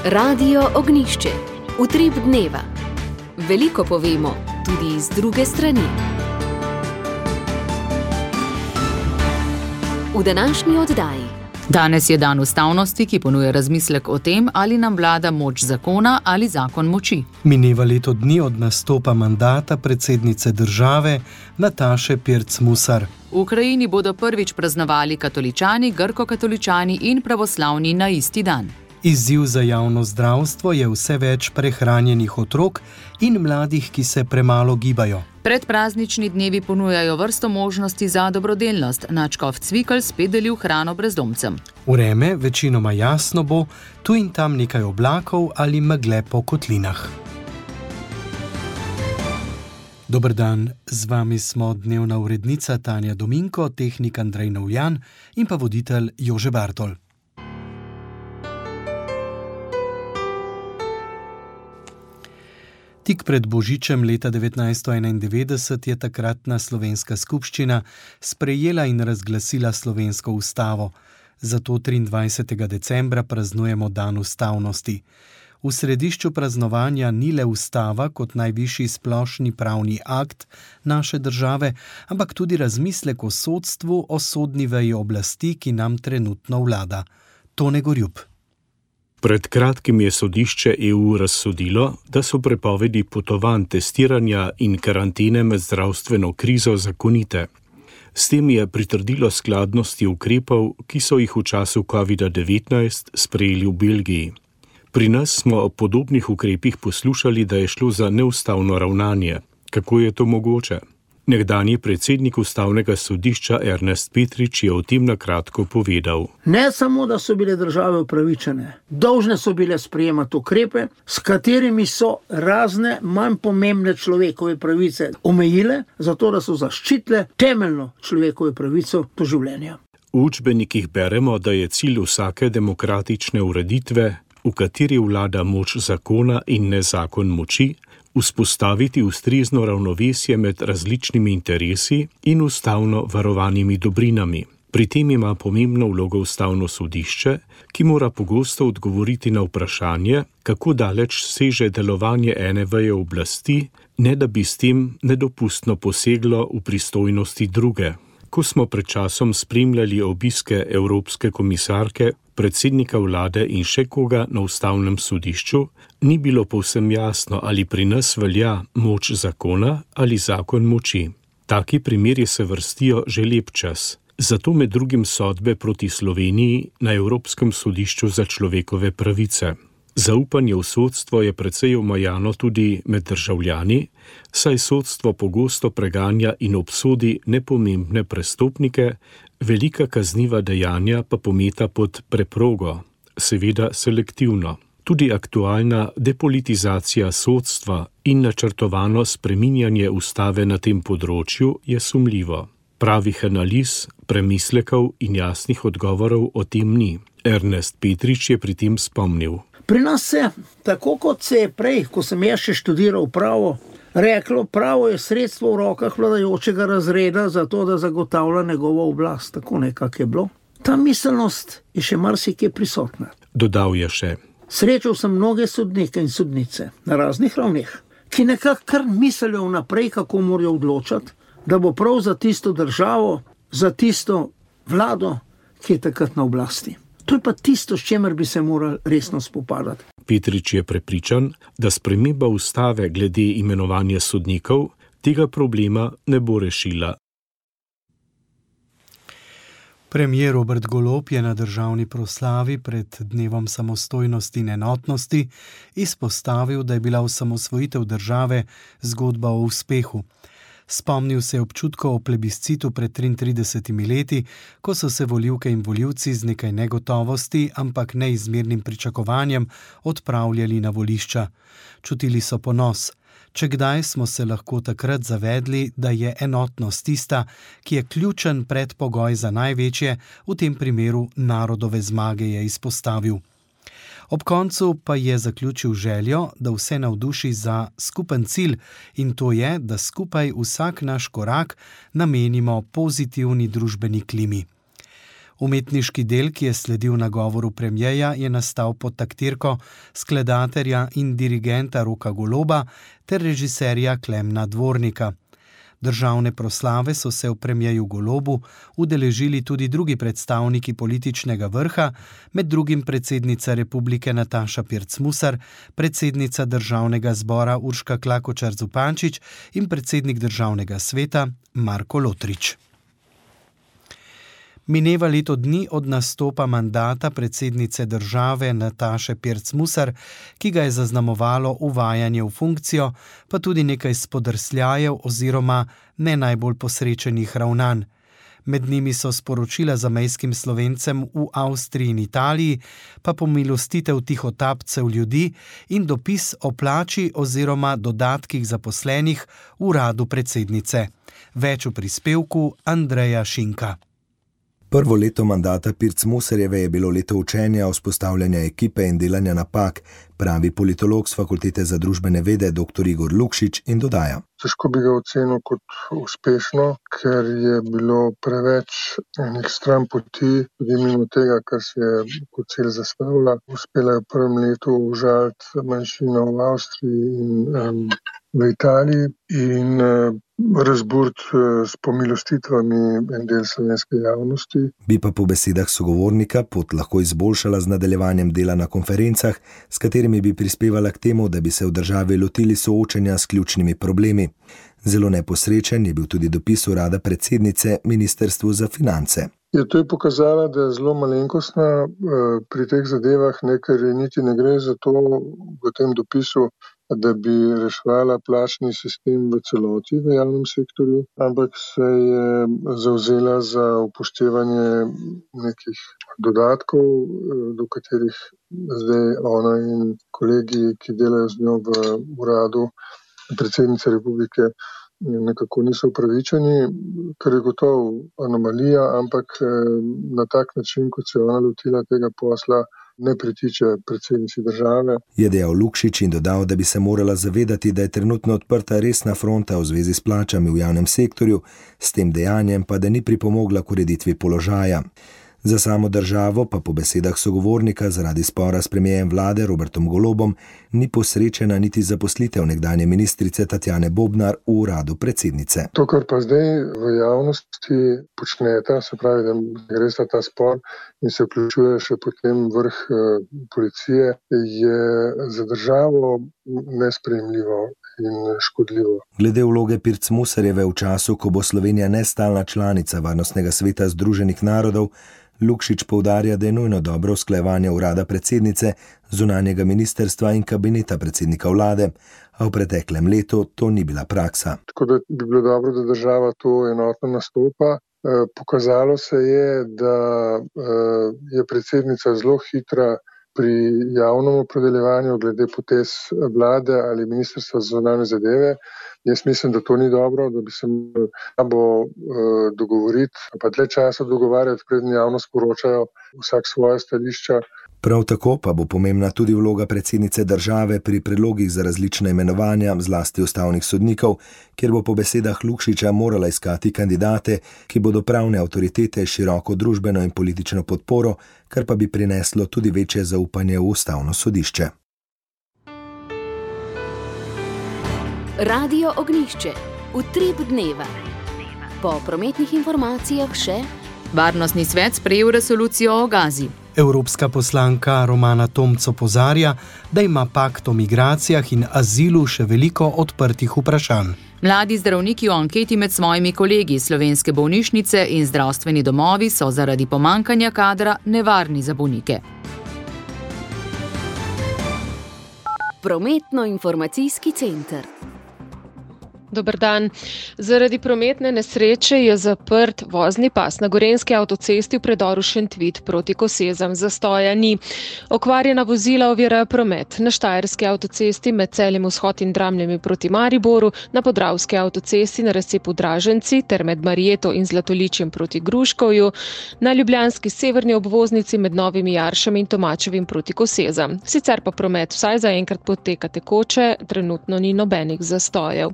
Radio Ognjišče. Utrip dneva. Veliko povemo, tudi iz druge strani. V današnji oddaji. Danes je dan ustavnosti, ki ponuja razmislek o tem, ali nam vlada moč zakona ali zakon moči. Mineva leto dni od nastopa mandata predsednice države Nataše Pirc Musar. V Ukrajini bodo prvič praznovali katoličani, grko-katoličani in pravoslavni na isti dan. Izziv za javno zdravstvo je vse več prehranjenih otrok in mladih, ki se premalo gibajo. Predpraznični dnevi ponujajo vrsto možnosti za dobrodelnost. Nadškof Cvikl spet delil hrano brezdomcem. Vreme večinoma jasno bo, tu in tam nekaj oblakov ali megle po kotlinah. Dober dan, z vami smo dnevna urednica Tanja Dominko, tehnik Andrej Novjan in pa voditelj Jože Bartol. Tik pred Božičem leta 1991 je takratna slovenska skupščina sprejela in razglasila slovensko ustavo. Zato 23. decembra praznujemo dan ustavnosti. V središču praznovanja ni le ustava kot najvišji splošni pravni akt naše države, ampak tudi razmislek o sodstvu, o sodni veji oblasti, ki nam trenutno vlada. Tone Gorjup. Pred kratkim je sodišče EU razsodilo, da so prepovedi potovanj, testiranja in karantene med zdravstveno krizo zakonite. S tem je pritrdilo skladnosti ukrepov, ki so jih v času COVID-19 sprejeli v Belgiji. Pri nas smo o podobnih ukrepih poslušali, da je šlo za neustavno ravnanje. Kako je to mogoče? Nekdanji predsednik ustavnega sodišča Ernest Petrič je o tem na kratko povedal. Ne samo, da so bile države upravičene, dolžne so bile sprejemati ukrepe, s katerimi so razne manj pomembne človekove pravice omejile, zato da so zaščitile temeljno človekove pravico do življenja. V učbenikih beremo, da je cilj vsake demokratične ureditve, v kateri vlada moč zakona in ne zakon moči, vzpostaviti ustrezno ravnovesje med različnimi interesi in ustavno varovanimi dobrinami. Pri tem ima pomembno vlogo ustavno sodišče, ki mora pogosto odgovoriti na vprašanje, kako daleč seže delovanje ene veje oblasti, ne da bi s tem nedopustno poseglo v pristojnosti druge. Ko smo pred časom spremljali obiske Evropske komisarke, predsednika vlade in še koga na ustavnem sodišču, ni bilo povsem jasno, ali pri nas velja moč zakona ali zakon moči. Taki primeri se vrstijo že lep čas. Zato med drugim sodbe proti Sloveniji na Evropskem sodišču za človekove pravice. Zaupanje v sodstvo je precej omajano tudi med državljani, saj sodstvo pogosto preganja in obsodi nepomembne prestopnike, velika kazniva dejanja pa pometa pod preprogo, seveda selektivno. Tudi aktualna depolitizacija sodstva in načrtovano spreminjanje ustave na tem področju je sumljivo. Pravih analiz, premislekov in jasnih odgovorov o tem ni. Ernest Petrič je pri tem spomnil. Pri nas se, tako kot se je prej, ko sem jaz še študiral pravo, reklo, pravo je sredstvo v rokah vladajočega razreda za to, da zagotavlja njegovo oblast. Tako nekako je bilo. Ta miselnost je še marsikje prisotna. Dodal je še. Srečal sem mnoge sodnike in sodnice na raznih ravneh, ki nekako kar mislijo vnaprej, kako morajo odločati, da bo prav za tisto državo, za tisto vlado, ki je takrat na oblasti. To je pa tisto, s čemer bi se morali resno spopadati. Petrič je prepričan, da sprememba ustave glede imenovanja sodnikov tega problema ne bo rešila. Premier Robert Golob je na državni proslavi pred dnevom samostojnosti in enotnosti izpostavil, da je bila osamosvojitev države zgodba o uspehu. Spomnil se je občutkov o plebiscitu pred 33 leti, ko so se volivke in volivci z nekaj negotovosti, ampak neizmernim pričakovanjem odpravljali na volišča. Čutili so ponos. Če kdaj smo se lahko takrat zavedli, da je enotnost tista, ki je ključen predpogoj za največje, v tem primeru narodove zmage, je izpostavil. Ob koncu pa je zaključil željo, da vse navduši za skupen cilj, in to je, da skupaj vsak naš korak namenimo pozitivni družbeni klimi. Umetniški del, ki je sledil nagovoru premierja, je nastal pod taktirko skladatelja in dirigenta Roka Goloba ter režiserja Klemna Dvornika. Državne proslave so se v premierju Golobu udeležili tudi drugi predstavniki političnega vrha, med drugim predsednica republike Nataša Pirc Musar, predsednica državnega zbora Urška Klakočar Zupančič in predsednik državnega sveta Marko Lotrič. Mineva leto dni od nastopa mandata predsednice države Nataše Pirc Musar, ki ga je zaznamovalo uvajanje v funkcijo, pa tudi nekaj spodrsljajev oziroma ne najbolj posrečenih ravnanj. Med njimi so sporočila zamejskim Slovencem v Avstriji in Italiji, pa pomilostitev tihotapcev ljudi in dopis o plači oziroma dodatkih zaposlenih v uradu predsednice. Več v prispevku Andreja Šinka. Prvo leto mandata Pirc Musarjeve je bilo leto učenja, vzpostavljanja ekipe in delanja napak, pravi politolog s Fakultete za družbene vede dr. Igor Lukšič in dodaja. Težko bi ga ocenil kot uspešno, ker je bilo preveč enih stran poti, tudi mimo tega, kar se je kot cilj zastavila. Uspela je v prvem letu užaliti manjšino v Avstriji in v Italiji in razburiti s pomilostitvami en del slovenske javnosti. Bi pa po besedah sogovornika pot lahko izboljšala z nadaljevanjem dela na konferencah, s katerimi bi prispevala k temu, da bi se v državi lotili soočenja s ključnimi problemi. Zelo neposrečen je bil tudi dopis urada predsednice Ministrstvu za finance. To je pokazala, da je zelo malenkostna pri teh zadevah, ker niti ne gre za to v tem dopisu, da bi reševala plačni sistem v celoti v javnem sektorju, ampak se je zavzela za upoštevanje nekih dodatkov, do katerih zdaj ona in kolegi, ki delajo z njo v uradu predsednice republike, nekako niso upravičeni, kar je gotovo anomalija, ampak na tak način, kot se je ona lotila tega posla, ne pritiče predsednici države. Je dejal Lukšič in dodal, da bi se morala zavedati, da je trenutno odprta resna fronta v zvezi s plačami v javnem sektorju, s tem dejanjem pa da ni pripomogla k ureditvi položaja. Za samo državo pa po besedah sogovornika zaradi spora s premierjem vlade Robertom Golobom ni posrečena niti zaposlitev nekdanje ministrice Tatjane Bobnar v uradu predsednice. To, kar pa zdaj v javnosti počneta, se pravi, da gre za ta spor in se vključuje še potem vrh policije, je za državo nesprejemljivo in škodljivo. Glede vloge Pirc Musarjeve v času, ko bo Slovenija nestalna članica Varnostnega sveta Združenih narodov, Lukšič poudarja, da je nujno dobro usklajevanje urada predsednice, zunanjega ministrstva in kabineta predsednika vlade, a v preteklem letu to ni bila praksa. Tako da bi bilo dobro, da država to enotno nastopa. Pokazalo se je, da je predsednica zelo hitra pri javnem opredeljevanju glede potez vlade ali ministrstva za zunanje zadeve. Jaz mislim, da to ni dobro, da bi se morali dogovoriti, pa dlje časa dogovarjati, preden javno sporočajo vsak svoje stališča. Prav tako pa bo pomembna tudi vloga predsednice države pri predlogih za različna imenovanja, zlasti ustavnih sodnikov, kjer bo po besedah Lukšiča morala iskati kandidate, ki bodo pravne avtoritete široko družbeno in politično podporo, kar pa bi prineslo tudi večje zaupanje v ustavno sodišče. Radio Ognjišče. Utrip dneva. Po prometnih informacijah še Varnostni svet sprejel resolucijo o Gazi. Evropska poslanka Romana Tomc opozarja, da ima pakt o migracijah in azilu še veliko odprtih vprašanj. Mladi zdravniki v anketi med svojimi kolegi slovenske bolnišnice in zdravstveni domovi so zaradi pomankanja kadra nevarni za bolnike. Prometno-informacijski center. Dober dan. Zaradi prometne nesreče je zaprt vozni pas na Gorenjski avtocesti v predoru Šentvid proti Kosezam. Zastoja ni. Okvarjena vozila ovirajo promet na Štajerski avtocesti med Celjem Vzhod in Dramljami proti Mariboru, na Podravski avtocesti na razcepu Draženci ter med Marijeto in Zlatoličjem proti Gruškovju, na ljubljanski severni obvoznici med Novimi Jaršami in Tomačevim proti Kosezam. Sicer pa promet vsaj zaenkrat poteka tekoče, trenutno ni nobenih zastojev.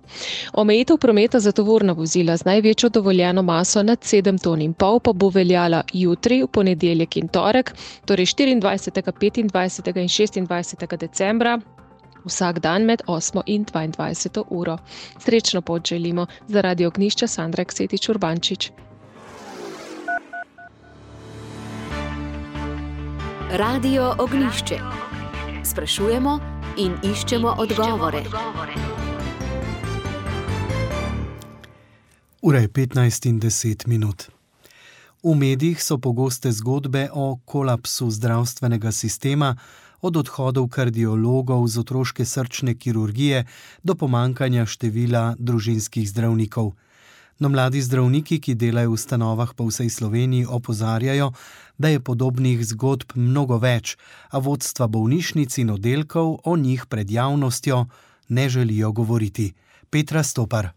Omejitev prometa za tovorna vozila z največjo dovoljeno maso nad 7,5 ton pa bo veljala jutri, v ponedeljek in torek, torej 24., 25. in 26. decembra, vsak dan med 8. in 22. uro. Srečno pot želimo. Za Radio Ognjišče Sandra Ksetič Urbančič. Radio Ognjišče. Sprašujemo in iščemo odgovore. Ura je 15:10. V medijih so pogoste zgodbe o kolapsu zdravstvenega sistema, od odhodov kardiologov z otroške srčne kirurgije do pomanjkanja števila družinskih zdravnikov. No, mladi zdravniki, ki delajo v ustanovah po vsej Sloveniji, opozarjajo, da je podobnih zgodb mnogo več, a vodstva bolnišnic in oddelkov o njih pred javnostjo ne želijo govoriti. Petra Stopar.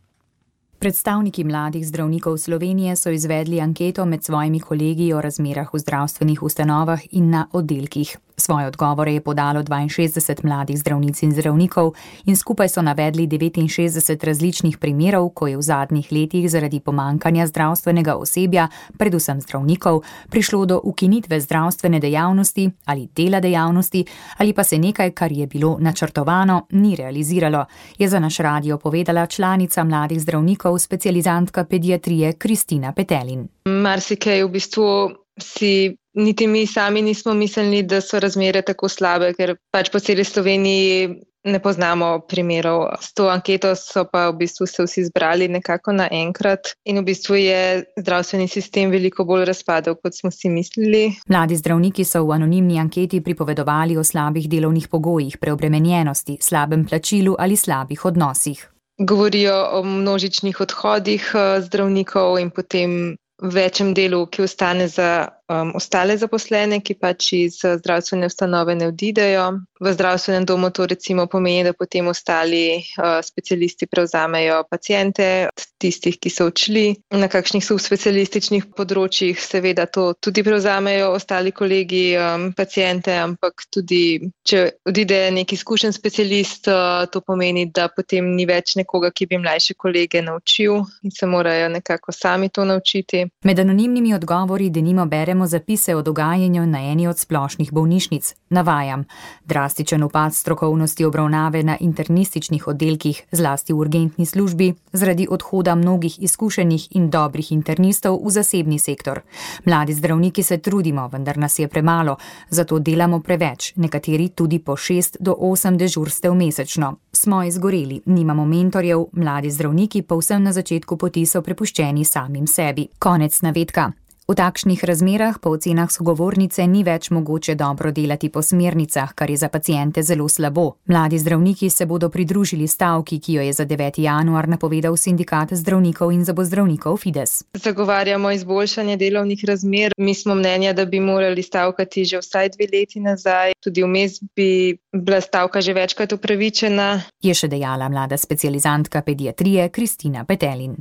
Predstavniki mladih zdravnikov Slovenije so izvedli anketo med svojimi kolegi o razmerah v zdravstvenih ustanovah in na oddelkih. Svoje odgovore je podalo 62 mladih zdravnic in zdravnikov in skupaj so navedli 69 različnih primerov, ko je v zadnjih letih zaradi pomankanja zdravstvenega osebja, predvsem zdravnikov, prišlo do ukinitve zdravstvene dejavnosti ali dela dejavnosti ali pa se nekaj, kar je bilo načrtovano, ni realiziralo, je za naš radio povedala članica mladih zdravnikov, specializantka pediatrije Kristina Petelin. Marsikaj v bistvu si niti mi sami nismo mislili, da so razmere tako slabe, ker pač po celi Sloveniji ne poznamo primerov. S to anketo so pa v bistvu se vsi zbrali nekako naenkrat in v bistvu je zdravstveni sistem veliko bolj razpadel, kot smo si mislili. Mladi zdravniki so v anonimni anketi pripovedovali o slabih delovnih pogojih, preobremenjenosti, slabem plačilu ali slabih odnosih. Govorijo o množičnih odhodih zdravnikov in potem večjem delu, ki ostane za ostale zaposlene, ki pač iz zdravstvene ustanove ne odidejo. V zdravstvenem domu to recimo pomeni, da potem ostali specialisti prevzamejo paciente, tistih, ki so odšli. Na kakšnih subspecialističnih področjih seveda to tudi prevzamejo ostali kolegi paciente, ampak tudi, če odide neki izkušen specialist, to pomeni, da potem ni več nekoga, ki bi mlajše kolege naučil in se morajo nekako sami to naučiti. Med anonimnimi odgovori denimo beremo zapise o dogajanju na eni od splošnih bolnišnic. Navajam: drastičen upad strokovnosti obravnave na internističnih oddelkih, zlasti v urgentni službi, zaradi odhoda mnogih izkušenih in dobrih internistov v zasebni sektor. Mladi zdravniki se trudimo, vendar nas je premalo, zato delamo preveč, nekateri tudi po 6 do 8 dežurstev mesečno. Smo izgoreli, nimamo mentorjev, mladi zdravniki povsem na začetku poti so prepuščeni samim sebi. Konec navedka. V takšnih razmerah po ocenah sogovornice ni več mogoče dobro delati po smernicah, kar je za paciente zelo slabo. Mladi zdravniki se bodo pridružili stavki, ki jo je za 9. januar napovedal sindikat zdravnikov in zobozdravnikov Fides. Zagovarjamo izboljšanje delovnih razmer. Mi smo mnenja, da bi morali stavkati že vsaj 2 leti nazaj. Tudi vmes bi bila stavka že večkrat upravičena. Je še dejala mlada specializantka pediatrije Kristina Petelin.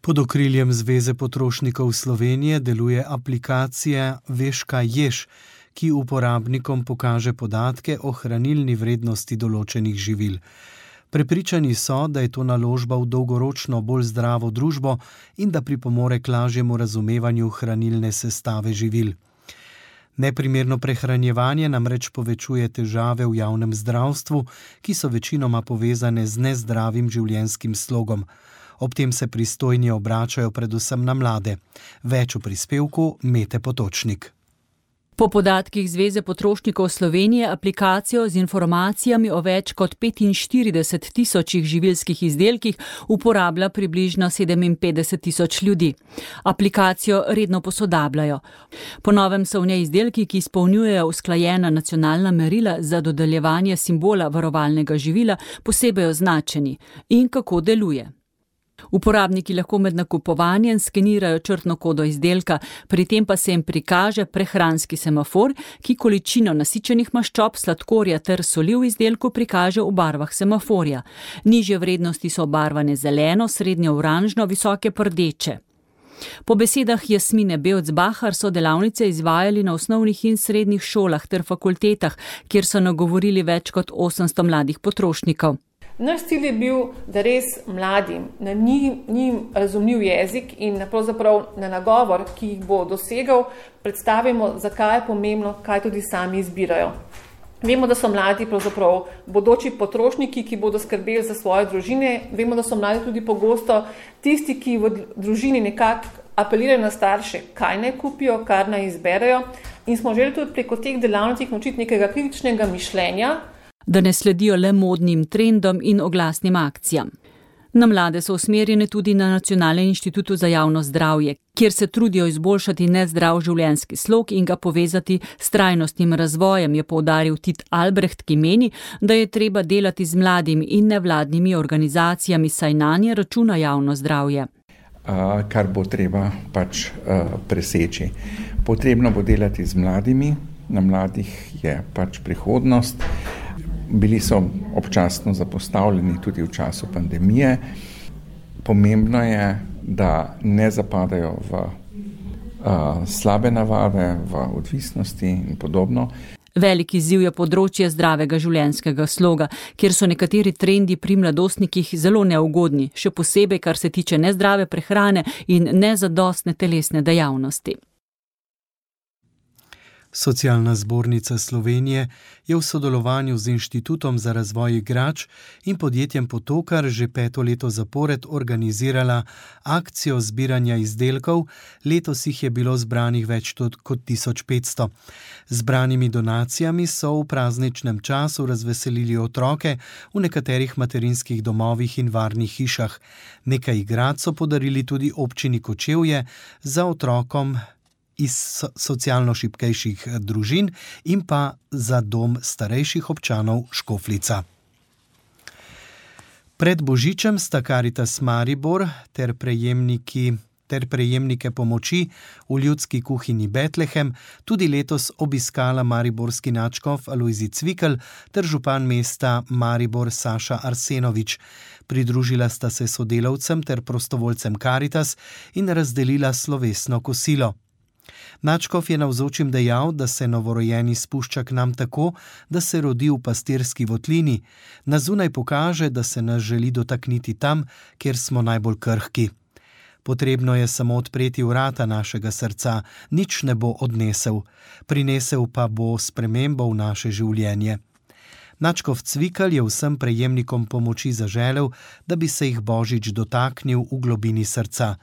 Pod okriljem Zveze potrošnikov Slovenije deluje aplikacija Veš, kaj ješ, ki uporabnikom pokaže podatke o hranilni vrednosti določenih živil. Prepričani so, da je to naložba v dolgoročno bolj zdravo družbo in da pripomore k lažjemu razumevanju hranilne sestave živil. Neprimerno prehranjevanje namreč povečuje težave v javnem zdravstvu, ki so večinoma povezane z nezdravim življenjskim slogom. Ob tem se pristojni obračajo predvsem na mlade. Več v prispevku Mete Potočnik. Po podatkih Zveze potrošnikov Slovenije aplikacijo z informacijami o več kot 45 tisočih živilskih izdelkih uporablja približno 57 tisoč ljudi. Aplikacijo redno posodabljajo. Po novem so v njej izdelki, ki izpolnjujejo usklajena nacionalna merila za dodeljevanje simbola varovalnega živila, posebej označeni in kako deluje. Uporabniki lahko med nakupovanjem skenirajo črtno kodo izdelka, pri tem pa se jim prikaže prehranski semafor, ki količino nasičenih maščob, sladkorja ter soli v izdelku prikaže v barvah semaforja. Nižje vrednosti so obarvane zeleno, srednje oranžno, visoke pa rdeče. Po besedah Jasmine Bevc-Bahar so delavnice izvajali na osnovnih in srednjih šolah ter fakultetah, kjer so nagovorili več kot 800 mladih potrošnikov. Naš cilj je bil, da res mladim na njim razumljiv jezik in pravzaprav na nagovor, ki jih bo dosegal, predstavimo, zakaj je pomembno, kaj tudi sami izbirajo. Vemo, da so mladi pravzaprav bodoči potrošniki, ki bodo skrbeli za svoje družine. Vemo, da so mladi tudi pogosto tisti, ki v družini nekako apelirajo na starše, kaj naj kupijo, kar naj izberejo. In smo želeli tudi preko teh delavnic naučiti nekega kritičnega mišljenja, da ne sledijo le modnim trendom in oglasnim akcijam. Na mlade so usmerjene tudi na Nacionalnem inštitutu za javno zdravje, kjer se trudijo izboljšati nezdrav življenjski slog in ga povezati s trajnostnim razvojem, je poudaril Tit Albrecht, ki meni, da je treba delati z mladimi in nevladnimi organizacijami, saj nanje računa javno zdravje. Kar bo treba preseči. Potrebno bo delati z mladimi, na mladih je prihodnost. Bili so občasno zapostavljeni tudi v času pandemije. Pomembno je, da ne zapadajo v slabe navade, v odvisnosti in podobno. Velik izziv je področje zdravega življenjskega sloga, kjer so nekateri trendi pri mladostnikih zelo neugodni, še posebej, kar se tiče nezdrave prehrane in nezadostne telesne dejavnosti. Socialna zbornica Slovenije je v sodelovanju z Inštitutom za razvoj igrač in podjetjem Potokar že 5. leto zapored organizirala akcijo zbiranja izdelkov. Letos jih je bilo zbranih več kot 1500. Zbranimi donacijami so v prazničnem času razveselili otroke v nekaterih materinskih domovih in varnih hišah. Nekaj igrač so podarili tudi občini Kočevje za otrokom iz socialno šibkejših družin in pa za dom starejših občanov Škofljica. Pred Božičem sta Karitas Maribor ter prejemnike pomoči v ljudski kuhinji Betlehem tudi letos obiskala mariborski nadškof Alojzij Cvikl ter župan mesta Maribor Saša Arsenovič. Pridružila sta se sodelavcem ter prostovoljcem Karitas in razdelila slovesno kosilo. Nadškof je navzočim dejal, da se novorojeni spušča k nam tako, da se rodi v pastirski votlini. Na zunaj pokaže, da se nas želi dotakniti tam, kjer smo najbolj krhki. Potrebno je samo odpreti vrata našega srca, nič ne bo odnesel. Prinesel pa bo spremembo v naše življenje. Nadškof Cvikl je vsem prejemnikom pomoči zaželel, da bi se jih Božič dotaknil v globini srca.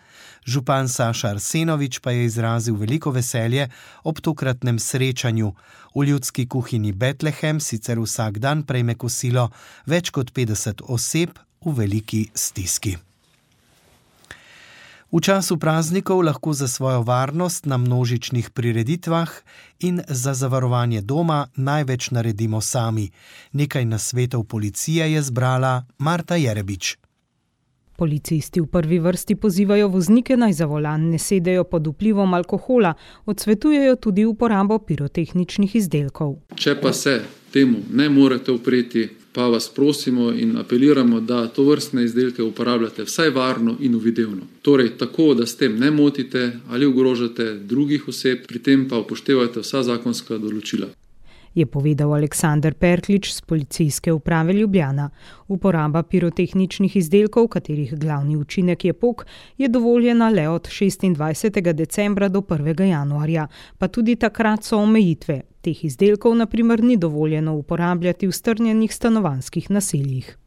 Župan Saša Arsenovič pa je izrazil veliko veselje ob tokratnem srečanju. V ljudski kuhinji Betlehem sicer vsak dan prejme kosilo več kot 50 oseb v veliki stiski. V času praznikov lahko za svojo varnost na množičnih prireditvah in za zavarovanje doma največ naredimo sami. Nekaj nasvetov policije je zbrala Marta Jerebič. Policisti v prvi vrsti pozivajo voznike naj za volan ne sedejo pod vplivom alkohola, odsvetujejo tudi uporabo pirotehničnih izdelkov. Če pa se temu ne morete upreti, pa vas prosimo in apeliramo, da tovrstne izdelke uporabljate vsaj varno in uvidevno. Torej tako, da s tem ne motite ali ogrožate drugih oseb, pri tem pa upoštevajte vsa zakonska določila. Je povedal Aleksander Perklič z Policijske uprave Ljubljana. Uporaba pirotehničnih izdelkov, katerih glavni učinek je pok, je dovoljena le od 26. decembra do 1. januarja, pa tudi takrat so omejitve. Teh izdelkov na primer ni dovoljeno uporabljati v strnjenih stanovanjskih naseljih.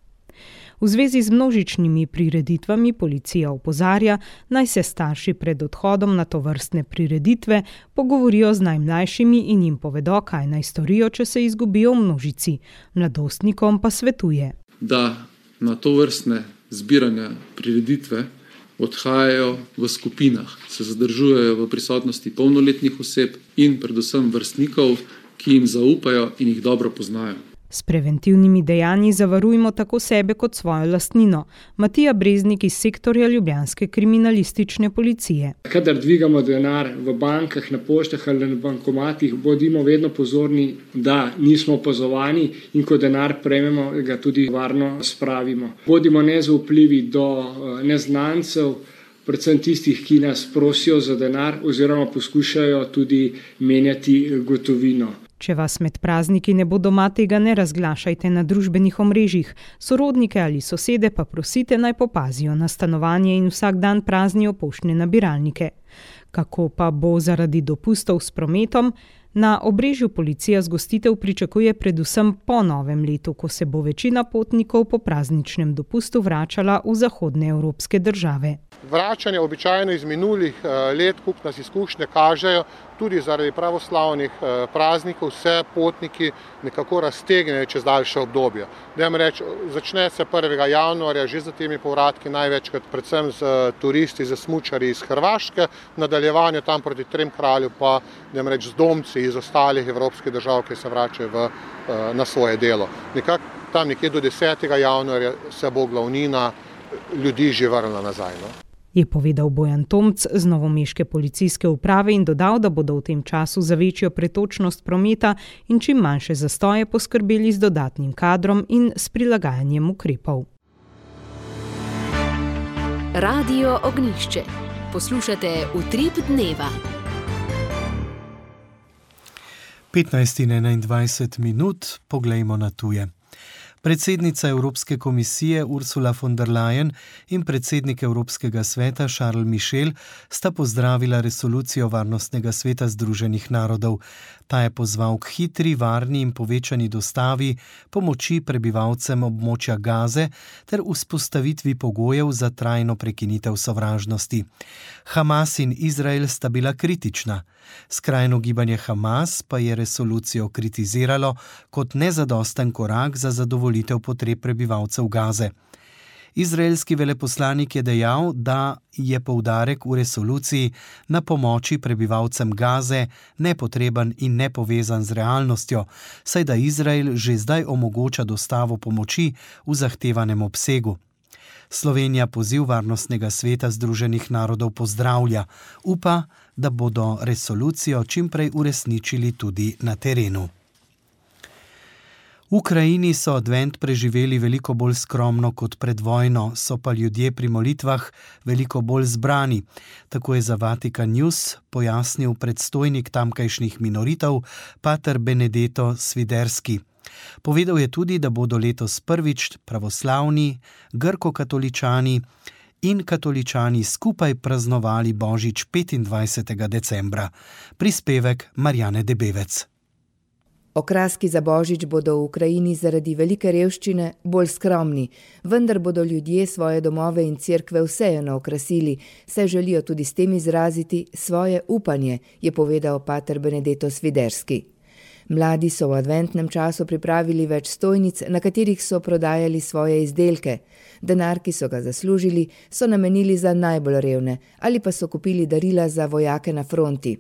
V zvezi z množičnimi prireditvami policija opozarja, naj se starši pred odhodom na tovrstne prireditve pogovorijo z najmlajšimi in jim povedo, kaj naj storijo, če se izgubijo v množici. Mladostnikom pa svetuje, da na tovrstne zbiranja prireditve odhajajo v skupinah, se zadržujejo v prisotnosti polnoletnih oseb in predvsem vrstnikov, ki jim zaupajo in jih dobro poznajo. S preventivnimi dejanji zavarujmo tako sebe kot svojo lastnino. Matija Breznik iz sektorja ljubljanske kriminalistične policije. Kadar dvigamo denar v bankah, na poštah ali na bankomatih, bodimo vedno pozorni, da nismo opazovani in ko denar prejmemo, ga tudi varno spravimo. Bodimo nezaupljivi do neznancev, predvsem tistih, ki nas prosijo za denar oziroma poskušajo tudi menjati gotovino. Če vas med prazniki ne bo doma, tega ne razglašajte na družbenih omrežjih. Sorodnike ali sosede pa prosite, naj popazijo na stanovanje in vsak dan praznijo poštne nabiralnike. Kako pa bo zaradi dopustov s prometom? Na Obrežju policija zgostitev pričakuje predvsem po novem letu, ko se bo večina potnikov po prazničnem dopustu vračala v zahodne evropske države. Vračanje običajno iz minulih let, kup nas izkušnje kažejo, tudi zaradi pravoslavnih praznikov vse potniki nekako raztegnejo čez daljše obdobje. Začne se 1. januarja že za temi povratki, največkrat predvsem z turisti, z smučarji iz Hrvaške, nadaljevanje tam proti Trem kralju pa z domci iz ostalih evropskih držav, ki se vračajo na svoje delo. Tam nekje do 10. januarja se bo glavnina ljudi že vrnila nazaj. Je povedal Bojan Tomc z novomeške policijske uprave in dodal, da bodo v tem času za večjo pretočnost prometa in čim manjše zastoje poskrbeli z dodatnim kadrom in s prilagajanjem ukrepov. Radio Ognjišče. Poslušate Utrip dneva. 15:21 minut, poglejmo na tuje. Predsednica Evropske komisije Ursula von der Leyen in predsednik Evropskega sveta Charles Michel sta pozdravila resolucijo Varnostnega sveta Združenih narodov. Ta je pozval k hitri, varni in povečani dostavi pomoči prebivalcem območja Gaze ter vzpostavitvi pogojev za trajno prekinitev sovražnosti. Hamas in Izrael sta bila kritična. Skrajno gibanje Hamas pa je resolucijo kritiziralo kot nezadosten korak za zadovoljitev potreb prebivalcev Gaze. Izraelski veleposlanik je dejal, da je poudarek v resoluciji na pomoči prebivalcem Gaze nepotreben in nepovezan z realnostjo, saj da Izrael že zdaj omogoča dostavo pomoči v zahtevanem obsegu. Slovenija poziv Varnostnega sveta Združenih narodov pozdravlja, upa, da bodo resolucijo čimprej uresničili tudi na terenu. V Ukrajini so advent preživeli veliko bolj skromno kot pred vojno, so pa ljudje pri molitvah veliko bolj zbrani. Tako je za Vatikan News pojasnil predstojnik tamkajšnjih minoritev, pater Benedetto Sviderski. Povedal je tudi, da bodo letos prvič pravoslavni, grko-katoličani in katoličani skupaj praznovali Božič 25. decembra. Prispevek Marjane Debevec. Okraski za Božič bodo v Ukrajini zaradi velike revščine bolj skromni, vendar bodo ljudje svoje domove in cerkve vseeno okrasili, saj želijo tudi s tem izraziti svoje upanje, je povedal pater Benedetto Sviderski. Mladi so v adventnem času pripravili več stojnic, na katerih so prodajali svoje izdelke. Denar, ki so ga zaslužili, so namenili za najbolj revne ali pa so kupili darila za vojake na fronti.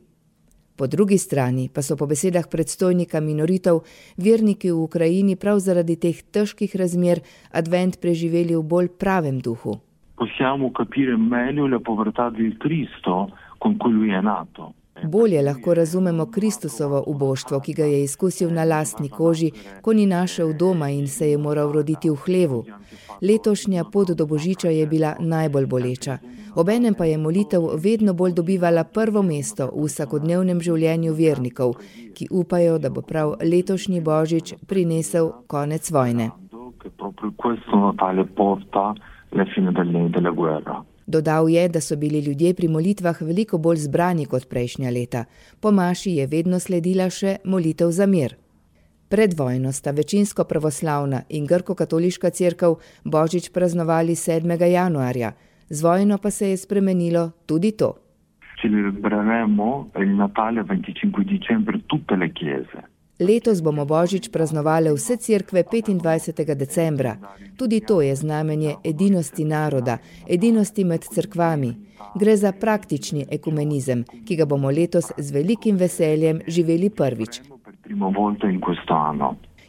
Po drugi strani pa so po besedah predstojnika minoritev verniki v Ukrajini prav zaradi teh težkih razmer advent preživeli v bolj pravem duhu. Possiamo capire meglio la povertà del Cristo con cui lui è nato. Bolje lahko razumemo Kristusovo uboštvo, ki ga je izkusil na lastni koži, ko ni našel doma in se je moral roditi v hlevu. Letošnja pot do Božiča je bila najbolj boleča. Obenem pa je molitev vedno bolj dobivala prvo mesto v vsakodnevnem življenju vernikov, ki upajo, da bo prav letošnji Božič prinesel konec vojne. Dodal je, da so bili ljudje pri molitvah veliko bolj zbrani kot prejšnja leta. Po maši je vedno sledila še molitev za mir. Pred vojno sta večinsko pravoslavna in grko-katoliška cerkev Božič praznovali 7. januarja. Z vojno pa se je spremenilo tudi to. Letos bomo Božič praznovali vse cerkve 25. decembra. Tudi to je znamenje edinosti naroda, edinosti med cerkvami. Gre za praktični ekumenizem, ki ga bomo letos z velikim veseljem živeli prvič,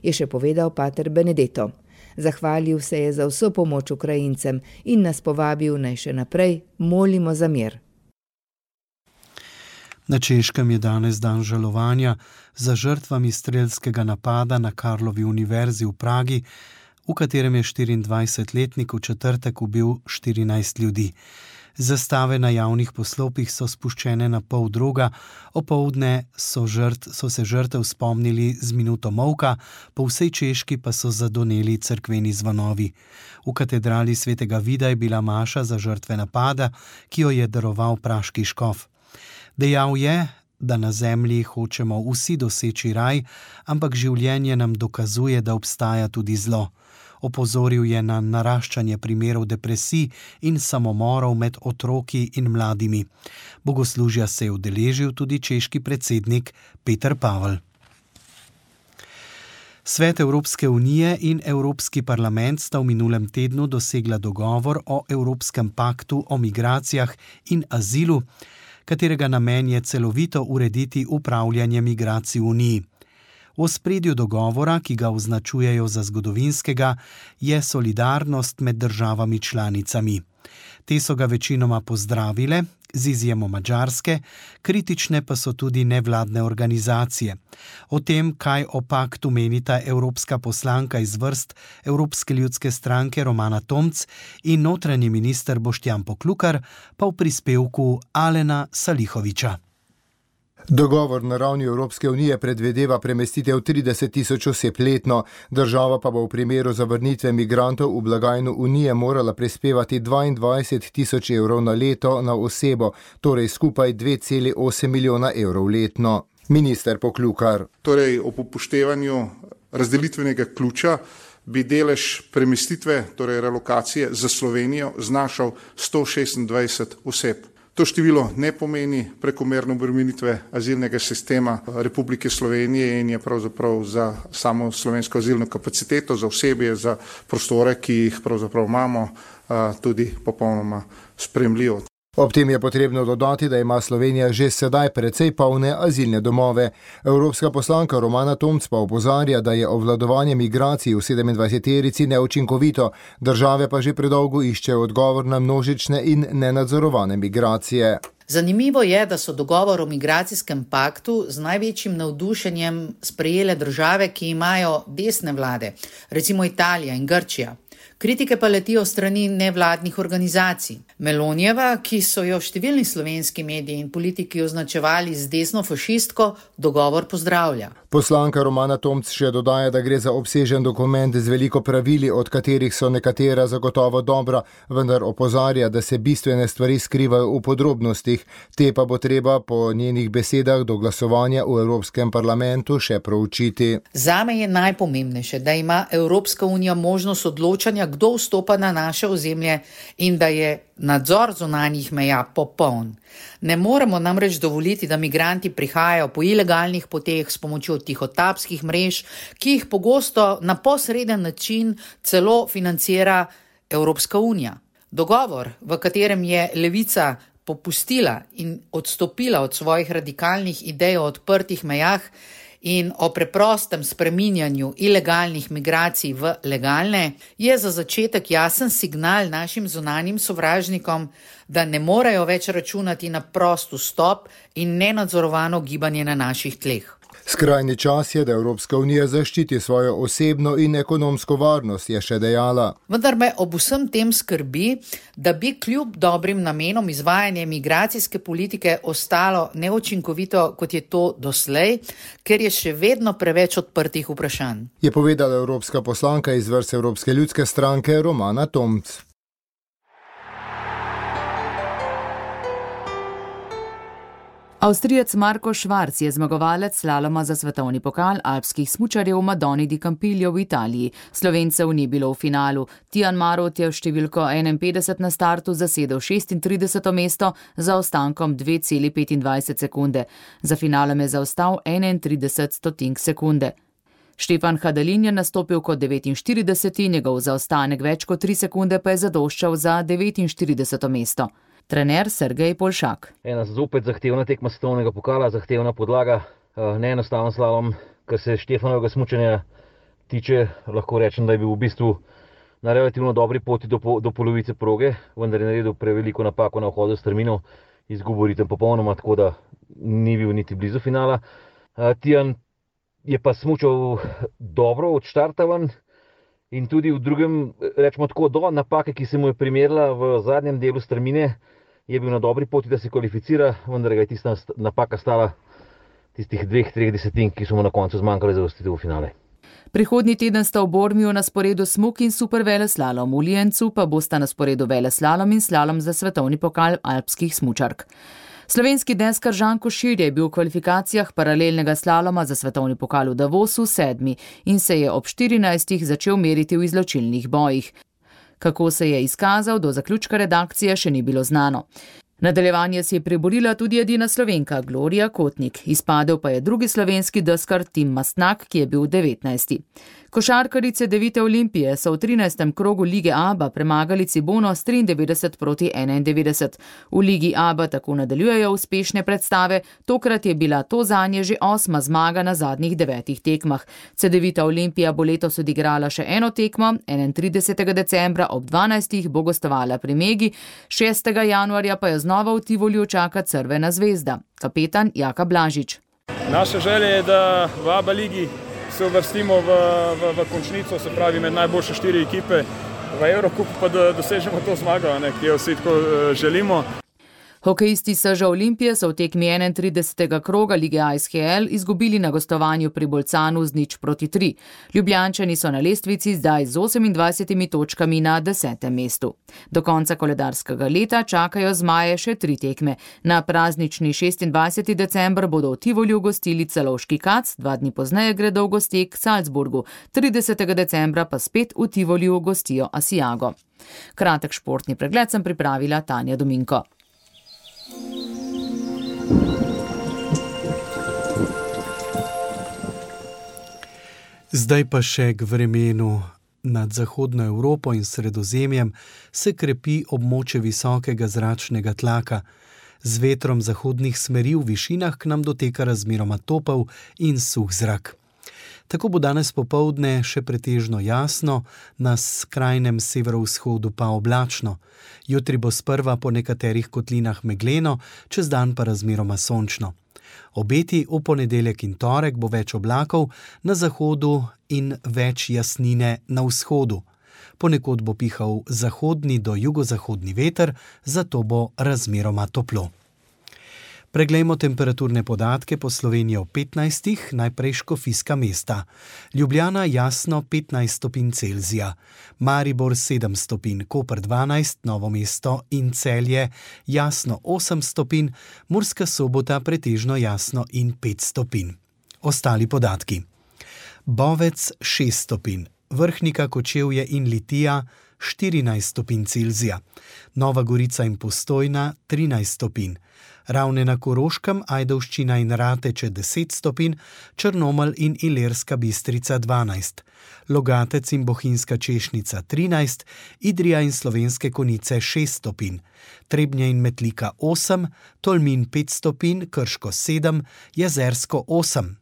je še povedal pater Benedetto. Zahvalil se je za vso pomoč Ukrajincem in nas povabil, naj še naprej molimo za mir. Na Češkem je danes dan žalovanja za žrtvami strelskega napada na Karlovi univerzi v Pragi, v katerem je 24-letnik v četrtek ubil 14 ljudi. Zastave na javnih poslopih so spuščene na pol droga, opoldne so se žrtev spomnili z minuto molka, po vsej Češki pa so zadoneli cerkveni zvonovi. V katedrali svetega Vida je bila maša za žrtve napada, ki jo je daroval praški škof. Dejal je, da na zemlji hočemo vsi doseči raj, ampak življenje nam dokazuje, da obstaja tudi zlo. Opozoril je na naraščanje primerov depresij in samomorov med otroki in mladimi. Bogoslužja se je udeležil tudi češki predsednik Peter Pavel. Svet Evropske unije in Evropski parlament sta v minulem tednu dosegla dogovor o Evropskem paktu o migracijah in azilu, katerega namen je celovito urediti upravljanje migracij v Uniji. V ospredju dogovora, ki ga označujejo za zgodovinskega, je solidarnost med državami članicami. Te so ga večinoma pozdravile, z izjemo Madžarske, kritične pa so tudi nevladne organizacije. O tem, kaj o paktu menita evropska poslanka iz vrst Evropske ljudske stranke Romana Tomc in notranji minister Boštjan Poklukar, pa v prispevku Alena Salihoviča. Dogovor na ravni Evropske unije predvideva premestitev 30.000 oseb letno, država pa bo v primeru zavrnitve migrantov v blagajno unije morala prispevati 22.000 evrov na leto na osebo, torej skupaj 2,8 milijona evrov letno. Minister Poklukar. Torej, ob upoštevanju razdelitvenega ključa bi delež premestitve, torej relokacije za Slovenijo znašal 126 oseb. To število ne pomeni prekomerne obremenitve azilnega sistema Republike Slovenije in je pravzaprav za samo slovensko azilno kapaciteto, za osebje, za prostore, ki jih pravzaprav imamo, tudi popolnoma sprejemljivo. Ob tem je potrebno dodati, da ima Slovenija že sedaj precej polne azilne domove. Evropska poslanka Romana Tomc pa opozarja, da je obvladovanje migracij v 27-terici neučinkovito, države pa že predolgo iščejo odgovor na množične in nenadzorovane migracije. Zanimivo je, da so dogovor o migracijskem paktu z največjim navdušenjem sprejele države, ki imajo desne vlade, recimo Italija in Grčija. Kritike pa letijo strani nevladnih organizacij. Melonijeva, ki so jo številni slovenski mediji in politiki označevali z desno fašistko, dogovor pozdravlja. Poslanka Romana Tomc še dodaja, da gre za obsežen dokument z veliko pravili, od katerih so nekatera zagotovo dobra, vendar opozarja, da se bistvene stvari skrivajo v podrobnostih, te pa bo treba po njenih besedah do glasovanja v Evropskem parlamentu še proučiti. Zame je najpomembnejše, da ima Evropska unija možnost odločanja, kdo vstopa na naše ozemlje in da je nadzor zunanjih meja popoln. Ne moremo namreč dovoliti, da migranti prihajajo po ilegalnih poteh s pomočjo tihotapskih mrež, ki jih pogosto na posreden način celo financira Evropska unija. Dogovor, v katerem je Levica popustila in odstopila od svojih radikalnih idej o odprtih mejah in o preprostem spreminjanju ilegalnih migracij v legalne, je za začetek jasen signal našim zunanjim sovražnikom, da ne morejo več računati na prost vstop in nenadzorovano gibanje na naših tleh. Skrajni čas je, da Evropska unija zaščiti svojo osebno in ekonomsko varnost, je še dejala. Vendar me ob vsem tem skrbi, da bi kljub dobrim namenom izvajanje migracijske politike ostalo neučinkovito, kot je to doslej, ker je še vedno preveč odprtih vprašanj. Je povedala evropska poslanka iz vrst Evropske ljudske stranke Romana Tomc. Avstrijec Marko Švarc je zmagovalec slaloma za svetovni pokal alpskih smučarjev v Madoni di Campiglio v Italiji. Slovencev ni bilo v finalu. Tijan Marot je v številko 51 na startu zasedel 36. mesto za ostankom 2,25 sekunde. Za finalom je zaostal 31 sekunde. Štefan Hadalin je nastopil kot 49, njegov zaostanek več kot 3 sekunde pa je zadoščal za 49. mesto. Trener Sergej Polšak. Ena zopet zahtevna tekma svetovnega pokala, zahtevna podlaga, neenostaven slalom, kar se Štefanovega smučanja tiče, lahko rečem, da je bil v bistvu na relativno dobri poti do polovice proge, vendar je naredil preveliko napako na vhodu s strmino, izgubil ritem popolnoma, tako da ni bil niti blizu finala. Tijan je pa smučal dobro od štarta ven in tudi v drugem, rečemo tako, do napake, ki se mu je primerila v zadnjem delu strmine, je bil na dobri poti, da se kvalificira, vendar ga je tista napaka stala tistih 2-3 desetink, ki so mu na koncu zmanjkali za uvrstitev v finale. Prihodnji teden sta v Bormiju na sporedu smuk in super veleslalom, v Liencu pa bosta na sporedu veleslalom in slalom za svetovni pokal alpskih smučark. Slovenski deskar Žan Košir je bil v kvalifikacijah paralelnega slaloma za svetovni pokal v Davosu 7. in se je ob 14. začel meriti v izločilnih bojih. Kako se je izkazal, do zaključka redakcije še ni bilo znano. Nadaljevanje si je priborila tudi edina Slovenka Gloria Kotnik, izpadel pa je drugi slovenski deskar Tim Mastnak, ki je bil 19. Košarkarice Devite Olimpije so v 13. krogu Lige ABA premagali Cibono s 93-91. V Ligi ABA tako nadaljujejo uspešne predstave, tokrat je bila to zanje že 8. zmaga na zadnjih 9 tekmah. Cedevita Olimpija bo letos odigrala še eno tekmo, 31. decembra ob 12. bo gostovala pri Megi, 6. januarja pa jo znova v Tivoliju čaka Crvena zvezda. Kapetan Jaka Blažič. Naša želja je, da v ABA ligi se uvrstimo v končnico, se pravi med najboljše 4 ekipe v Evrokupu, pa da dosežemo to zmago, ki jo vsi tako želimo. Hokejisti Seža Olimpije so v tekmi 31. kroga Lige ASHL izgubili na gostovanju pri Bolcanu z 0-3. Ljubljančani so na lestvici zdaj z 28 točkami na 10. mestu. Do konca koledarskega leta čakajo zmaje še 3 tekme. Na praznični 26. december bodo v Tivoliju gostili Celovški Kac, 2 dni pozneje gredo v gostek Salzburgu, 30. decembra pa spet v Tivoliju gostijo Asiago. Kratek športni pregled sem pripravila Tanja Dominko. Zdaj pa še k vremenu. Nad zahodno Evropo in Sredozemljem se krepi območje visokega zračnega tlaka. Z vetrom zahodnih smeri v višinah k nam doteka razmeroma topel in suh zrak. Tako bo danes popoldne še pretežno jasno, na skrajnem severovzhodu pa oblačno. Jutri bo sprva po nekaterih kotlinah megleno, čez dan pa razmeroma sončno. Obeti v ponedeljek in torek bo več oblakov na zahodu in več jasnine na vzhodu. Ponekod bo pihal zahodni do jugozahodni veter, zato bo razmeroma toplo. Preglejmo temperaturne podatke po Sloveniji ob 15. najprej škofijska mesta. Ljubljana jasno 15 stopinj Celzija, Maribor 7 stopinj, Koper 12, Novo mesto in Celje jasno 8 stopinj, Murska Sobota pretežno jasno in 5 stopinj. Ostali podatki. Bovec 6 stopinj, Vrhnika, Kočevje in Litija 14 stopinj Celzija, Nova Gorica in Postojna 13 stopinj, Ravne na Koroškem, Ajdovščina in Rateče 10 stopinj, Črnomelj in Ilirska Bistrica 12, Logatec in Bohinjska Češnica 13, Idrija in Slovenske Konjice 6 stopinj, Trebnje in Metlika 8, Tolmin 5 stopinj, Krško 7, Jezersko 8.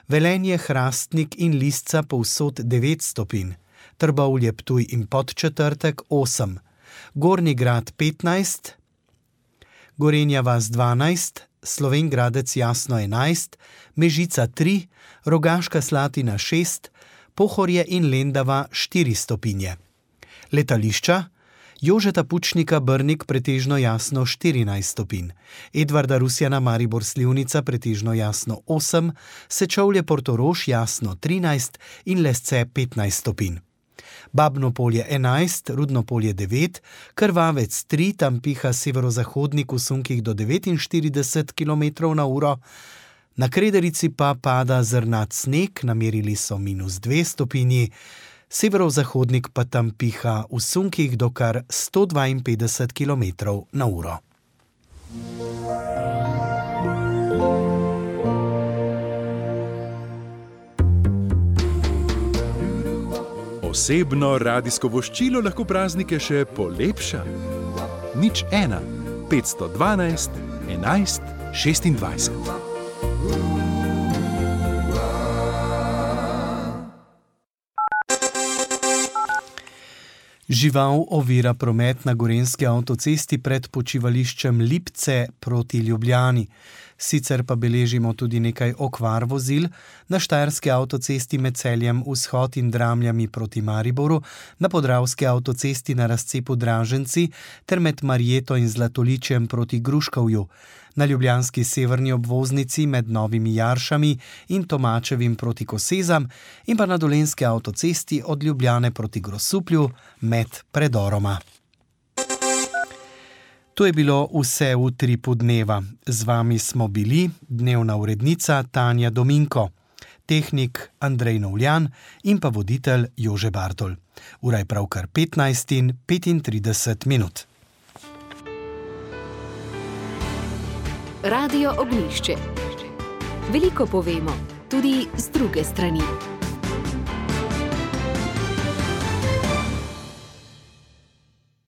Velenje, Hrastnik in Lisca povsod 9 stopinj, Trbovlje, Ptuj in Podčetrtek 8, Gornji Grad 15, Gorenja vas 12, Slovenj Gradec jasno 11, Mežica 3, Rogaška Slatina 6, Pohorje in Lendava 4 stopinje. Letališča: Jožeta Pučnika Brnik pretežno jasno 14 stopinj, Edvarda Rusjana Maribor Slivnica pretežno jasno 8, Sečovlje Portorož jasno 13 in Lesce 15 stopinj. Babno Polje 11, Rudno Polje 9, Krvavec 3, tam piha severozahodnik v sunkih do 49 km/h, na Krederici pa pada zrnat sneg, namerili so -2 stopinji, severozahodnik pa tam piha v sunkih do kar 152 km/h. Osebno radijsko voščilo lahko praznike še polepša. 01 512 11 26. Žival ovira promet na gorenjski avtocesti pred počivališčem Lipce proti Ljubljani. Sicer pa beležimo tudi nekaj okvar vozil na štajerski avtocesti med Celjem Vzhod in Dramljami proti Mariboru, na podravski avtocesti na razcepu Draženci ter med Marjeto in Zlatoličjem proti Gruškovju, na ljubljanski severni obvoznici med Novimi Jaršami in Tomačevim proti Kosezam in pa na dolenjski avtocesti od Ljubljane proti Grosuplju med predoroma. To je bilo vse v Utripu dneva. Z vami smo bili dnevna urednica Tanja Dominko, tehnik Andrej Novljan in pa voditelj Jože Bartol. Ura je pravkar 15:35. Radio Ognjišče. Veliko povemo, tudi z druge strani.